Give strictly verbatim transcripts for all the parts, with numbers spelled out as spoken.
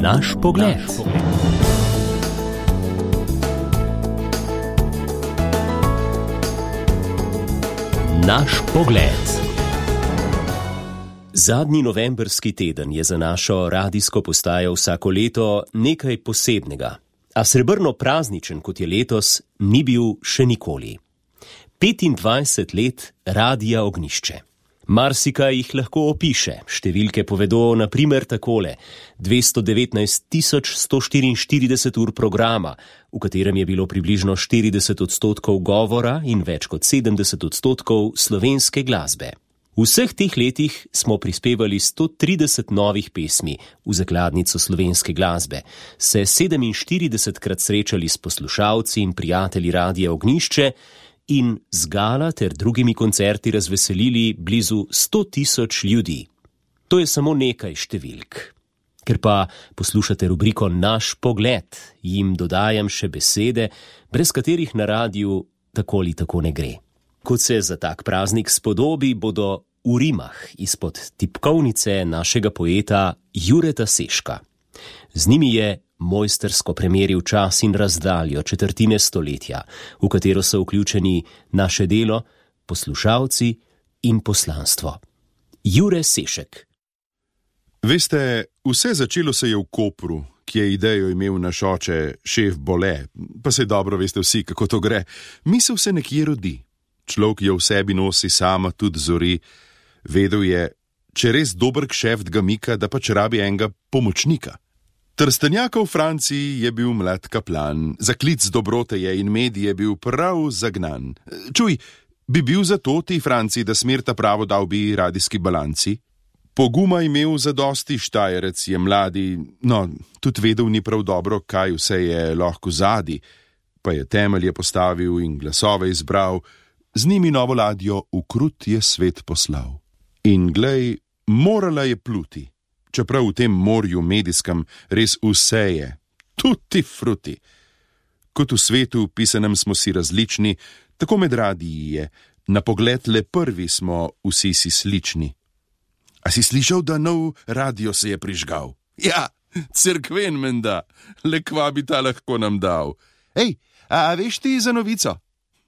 Naš pogled. Naš pogled. Zadnji novembrski teden je za našo radijsko postajo vsako leto nekaj posebnega, a srebrno prazničen, kot je letos, ni bil še nikoli. petindvajset let Radia Ognjišče. Marsikaj jih lahko opiše. Številke povedo na primer takole: dvesto devetnajst tisoč sto štiriinštirideset ur programa, v katerem je bilo približno štirideset odstotkov govora in več kot sedemdeset odstotkov slovenske glasbe. V vseh teh letih smo prispevali sto trideset novih pesmi v zakladnico slovenske glasbe, se sedeminštiridesetkrat srečali s poslušalci in prijatelji Radia Ognjišče in z gala ter drugimi koncerti razveselili blizu sto tisoč ljudi. To je samo nekaj številk. Ker pa poslušate rubriko Naš pogled, jim dodajam še besede, brez katerih na radiju tako ali tako ne gre. Kot se za tak praznik spodobi, bodo v rimah izpod tipkovnice našega poeta Jureta Seška. Z njimi je mojstersko premeril čas in razdaljo četrtine stoletja, v katero so vključeni naše delo, poslušalci in poslanstvo. Jure Sešek. Veste, vse začelo se je v Kopru, ki je idejo imel naš oče, šef Bole, pa se dobro veste vsi, kako to gre. Misel se nekje rodi. Človek jo v sebi nosi sama, tudi zori. Vedel je, če res dober kšeft ga mika, da pač rabi enega pomočnika. Trstenjaka v Franciji je bil mlad kaplan, zaklic dobrote je in medij je bil prav zagnan. Čuj, bi bil zato ti Franciji, da smerta pravo dal bi radijski balanci? Poguma imel zadosti, Štajerec je mladi, no, tudi vedel ni prav dobro, kaj vse je lahko zadi, pa je temelje postavil in glasove izbral, z njimi novo ladjo v krut je svet poslal. In glej, morala je pluti. Čeprav v tem morju medijskem res vse je, tutti frutti. Kot v svetu pisanem smo si različni, tako med radiji je, na pogled le prvi smo vsi si slični. A si slišal, da nov radio se je prižgal? Ja, cerkven menda, le kva bi ta lahko nam dal. Ej, a veš ti za novico?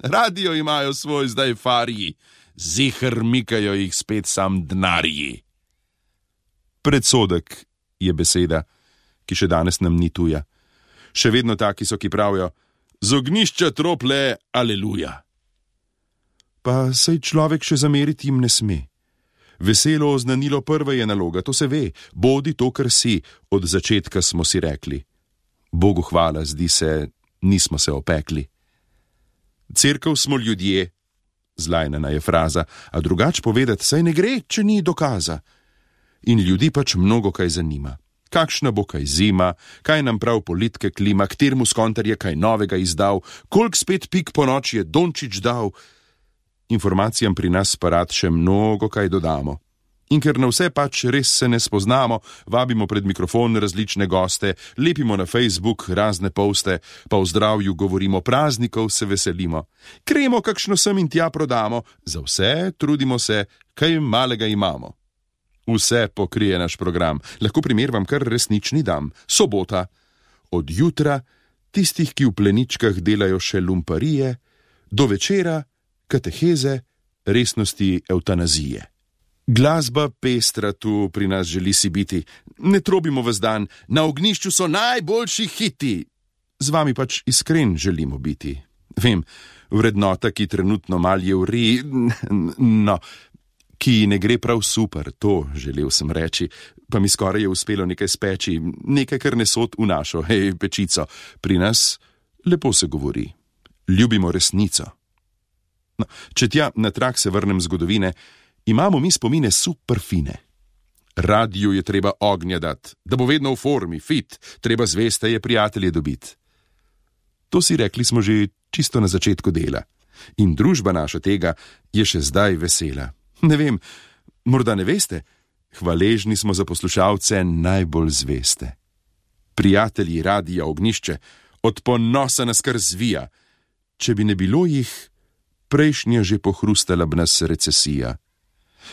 Radio imajo svoj zdaj farji, ziher mikajo jih spet sam dnarji. Predsodek je beseda, ki še danes nam ni tuja. Še vedno taki so, ki pravijo, z ognjišča trople, aleluja. Pa saj človek še zameriti jim ne sme. Veselo oznanilo prve je naloga, to se ve, bodi to, kar si, od začetka smo si rekli. Bogu hvala, zdi se, nismo se opekli. Cerkev smo ljudje, zlajnena je fraza, a drugač povedati, saj ne gre, če ni dokaza. In ljudi pač mnogo kaj zanima. Kakšna bo kaj zima, kaj nam prav politike klima, ktermu skontar je kaj novega izdal, kolik spet pik po noči je Dončić dal. Informacijam pri nas pa rad še mnogo kaj dodamo. In ker na vse pač res se ne spoznamo, vabimo pred mikrofon različne goste, lepimo na Facebook razne poste, pa v zdravju govorimo, praznikov se veselimo. Kremo kakšno sem in tja prodamo, za vse trudimo se, kaj malega imamo. Vse pokrije naš program. Lahko primer vam kar resnični dam. Sobota. Od jutra, tistih, ki v pleničkah delajo še lumparije, do večera, kateheze, resnosti evtanazije. Glasba pestra tu pri nas želi si biti. Ne trobimo ves dan, na ognjišču so najboljši hiti. Z vami pač iskren želimo biti. Vem, vrednota, ki trenutno mal je vri, no, ki ne gre prav super, to želel sem reči, pa mi skoraj je uspelo nekaj speči, nekaj, kar ne sod v našo, hej, pečico. Pri nas lepo se govori, ljubimo resnico. No, če tja na trak se vrnem zgodovine, imamo mi spomine super fine. Radiju je treba ognja dat, da bo vedno v formi, fit, treba zveste je prijatelje dobiti. To si rekli smo že čisto na začetku dela. In družba naša tega je še zdaj vesela. Ne vem, morda ne veste, hvaležni smo za poslušalce najbolj zveste. Prijatelji Radia Ognjišče, od ponosa nas kar zvija. Če bi ne bilo jih, prejšnja že pohrustala b nas recesija.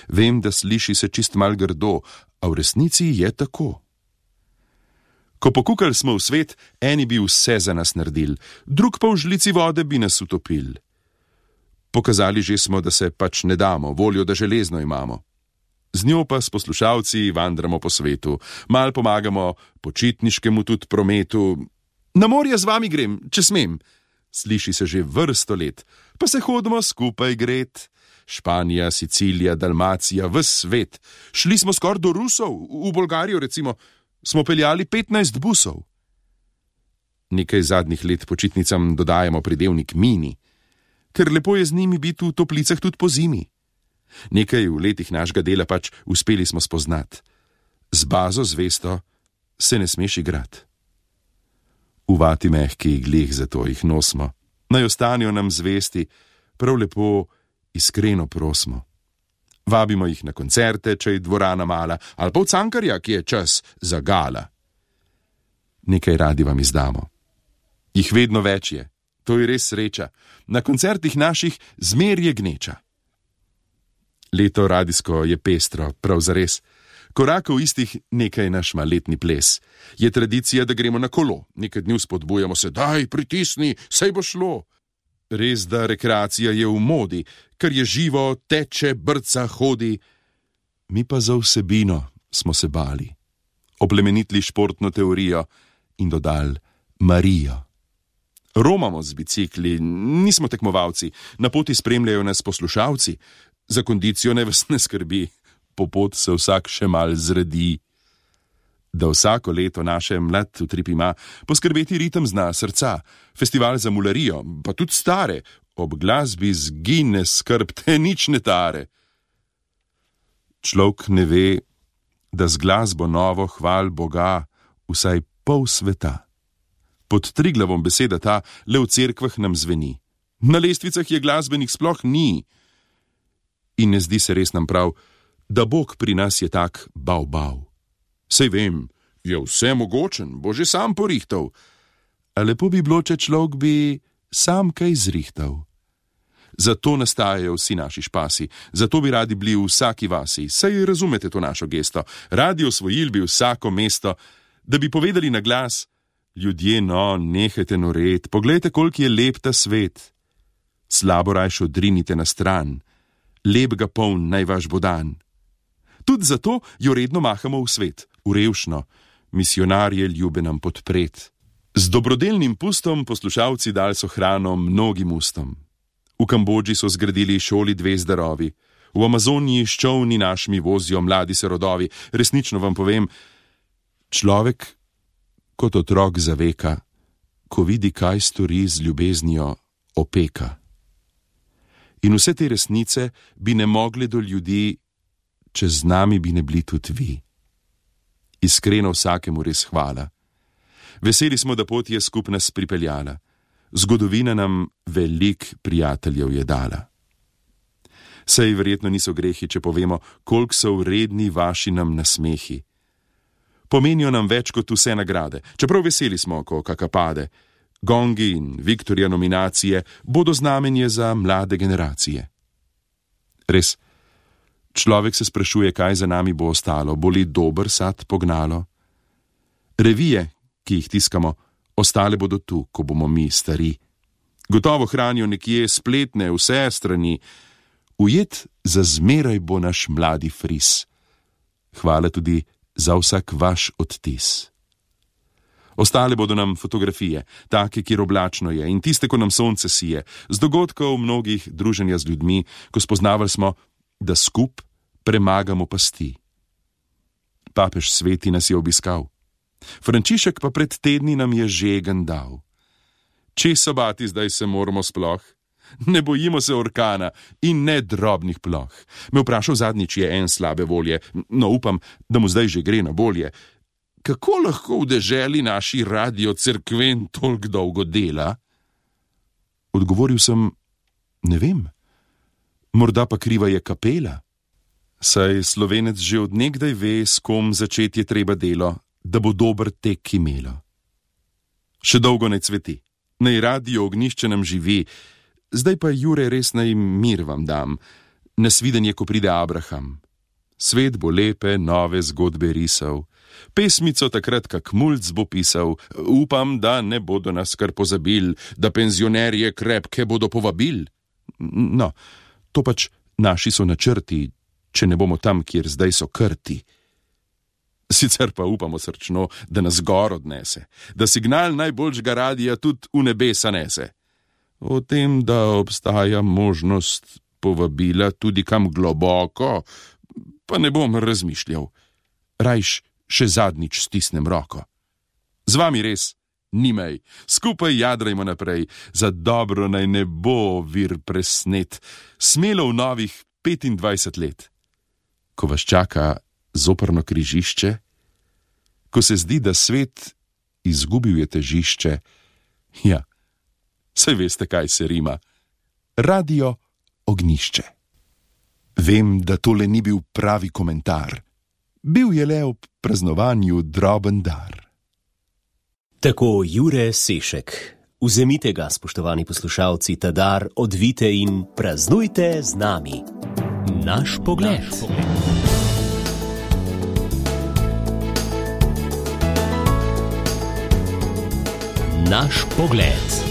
Vem, da sliši se čist mal grdo, a v resnici je tako. Ko pokukali smo v svet, eni bi vse za nas naredili, drug pa v žlici vode bi nas utopil. Pokazali že smo, da se pač ne damo, voljo, da železno imamo. Z njo pa s poslušalci vandramo po svetu, mal pomagamo počitniškemu tudi prometu. Na morje z vami grem, če smem. Sliši se že vrsto let, pa se hodimo skupaj gret. Španija, Sicilija, Dalmacija, ves svet. Šli smo skoraj do Rusov, v Bolgarijo recimo, smo peljali petnajst busov. Nekaj zadnjih let počitnicam dodajamo pridevnik mini, ker lepo je z njimi biti v toplicah tudi po zimi. Nekaj v letih našega dela pač uspeli smo spoznati. Z bazo zvesto se ne smeš igrati. Uvati mehki glih, zato jih nosimo. Naj ostanijo nam zvesti, prav lepo, iskreno prosimo. Vabimo jih na koncerte, če je dvorana mala, ali pa v Cankarja, ki je čas za gala. Nekaj radi vam izdamo. Jih vedno več je, to je res sreča. Na koncertih naših zmer je gneča. Leto radijsko je pestro, prav zares. Korakov istih nekaj naš ima letni ples. Je tradicija, da gremo na kolo. Nekaj dni spodbujamo se, daj, pritisni, saj bo šlo. Res, da rekreacija je v modi, ker je živo, teče, brca, hodi. Mi pa za vsebino smo se bali. Oplemenitli športno teorijo in dodali Marijo. Romamo z bicikli, nismo tekmovalci, na poti spremljajo nas poslušalci. Za kondicijo ne vas ne skrbi, po pot se vsak še mal zredi. Da vsako leto naše mlad utrip ima poskrbeti ritem zna srca, festival za mularijo, pa tudi stare, ob glasbi zgine skrb, te nič ne tare. Človek ne ve, da z glasbo novo hval Boga vsaj pol sveta. Pod Triglavom beseda ta le v cerkvah nam zveni. Na lestvicah je glasbenih sploh ni. In ne zdi se res nam prav, da Bog pri nas je tak bav-bav. Sej vem, je vse mogočen, bo že sam porihtal. A lepo bi bilo, če človek bi sam kaj zrihtal. Zato nastajajo vsi naši špasi, zato bi radi bili v vsaki vasi, saj razumete to našo gesto. Radi osvojili bi vsako mesto, da bi povedali na glas, ljudje, no, nehajte noret, poglejte, koliko je lep ta svet. Slabo rajš odrinite na stran, lep ga poln naj vaš bo dan. Tudi zato jo redno mahamo v svet, v revšno, misionarje ljube nam podpret. Z dobrodelnim pustom poslušalci dal so hrano mnogim ustom. V Kambodži so zgradili šoli dve zdarovi, v Amazoniji s čolni našimi vozijo mladi se rodovi. Resnično vam povem, človek kot otrok zaveka, ko vidi, kaj stori z ljubeznijo, opeka. In vse te resnice bi ne mogli do ljudi, če z nami bi ne bili tudi vi. Iskreno vsakemu res hvala. Veseli smo, da pot je skup nas pripeljala. Zgodovina nam velik prijateljev je dala. Saj verjetno niso grehi, če povemo, koliko so vredni vaši nam nasmehi. Pomenijo nam več kot vse nagrade, čeprav veseli smo, ko kaka pade. Gongi in Viktorja nominacije bodo znamenje za mlade generacije. Res, človek se sprašuje, kaj za nami bo ostalo, bo li dober sad pognalo. Revije, ki jih tiskamo, ostale bodo tu, ko bomo mi stari. Gotovo hranijo nekje spletne vse strani. Ujet za zmeraj bo naš mladi fris. Hvala tudi za vsak vaš odtis. Ostale bodo nam fotografije, take, kjer oblačno je, in tiste, ko nam sonce sije, z dogodkov mnogih druženja z ljudmi, ko spoznavali smo, da skup premagamo pasti. Papež Sveti nas je obiskal. Frančišek pa pred tedni nam je žegen dal. Če sobati zdaj se moramo sploh? Ne bojimo se orkana in ne drobnih ploh. Me vprašal zadnjič je en slabe volje, no upam, da mu zdaj že gre na bolje. Kako lahko v deželi naši radio cerkven toliko dolgo dela? Odgovoril sem, ne vem. Morda pa kriva je kapela. Saj Slovenec že od nekdaj ve, s kom začeti je treba delo, da bo dober tek imelo. Še dolgo naj cveti, naj radio ognjišče nam živi, zdaj pa Jure res naj mir vam dam, nasvidenje, ko pride Abraham. Svet bo lepe, nove zgodbe risal, Pesmico takrat, kak mulc bo pisal, upam, da ne bodo nas kar pozabil, da penzionerje krepke bodo povabil. No, to pač naši so načrti, če ne bomo tam, kjer zdaj so krti. Sicer pa upamo srčno, da nas gor odnese, da signal najboljšega radija tudi v nebesa nese. O tem, da obstaja možnost povabila tudi kam globoko, pa ne bom razmišljal. Rajš še zadnjič stisnem roko. Z vami res nimej, skupaj jadrajmo naprej, za dobro naj ne bo vir presnet, smelo v novih petindvajset let. Ko vas čaka zoprno križišče, ko se zdi, da svet izgubil je težišče, ja, saj veste, kaj se rima, Radio Ognjišče. Vem, da tole ni bil pravi komentar, bil je le ob praznovanju droben dar. Tako Jure Sešek. Vzemite ga, spoštovani poslušalci, ta dar, odvite in praznujte z nami. Naš pogled. Naš pogled. Naš pogled.